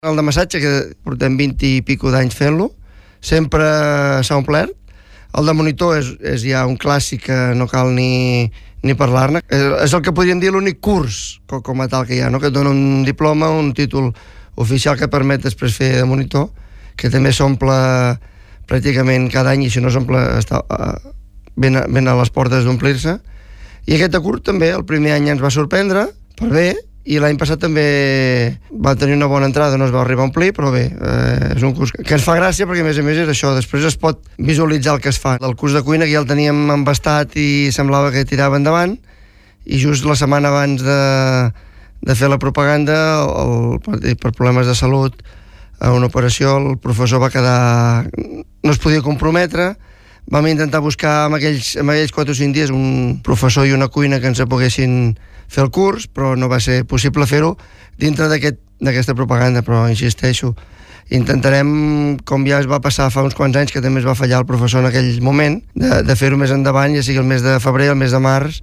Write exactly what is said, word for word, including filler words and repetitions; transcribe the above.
El de massatge, que portem vint i pico d'anys fent-lo, sempre s'ha omplert. El de monitor és, és ja un clàssic que no cal ni, ni parlar-ne. És, és el que podríem dir l'únic curs com, com a tal que hi ha, no? Que et dona un diploma, un títol oficial que permet després fer de monitor, que també s'omple pràcticament cada any, i si no s'omple està uh, ben, a, ben a les portes d'omplir-se. I aquest de curt també, el primer any ens va sorprendre, per bé, i l'any passat també va tenir una bona entrada, no es va arribar a omplir, però bé, eh, és un curs que ens fa gràcia perquè a més a més és això, després es pot visualitzar el que es fa. El curs de cuina que ja el teníem embastat i semblava que tirava endavant, i just la setmana abans de, de fer la propaganda, el, per, per problemes de salut, a una operació, el professor va quedar... no es podia comprometre. Vam intentar buscar en aquells, en aquells quatre o cinc dies un professor i una cuina que ens poguessin fer el curs, però no va ser possible fer-ho dintre d'aquest, d'aquesta propaganda, però insisteixo, intentarem, com ja es va passar fa uns quants anys, que també es va fallar el professor en aquell moment, de, de fer-ho més endavant, ja sigui el mes de febrer, el mes de març,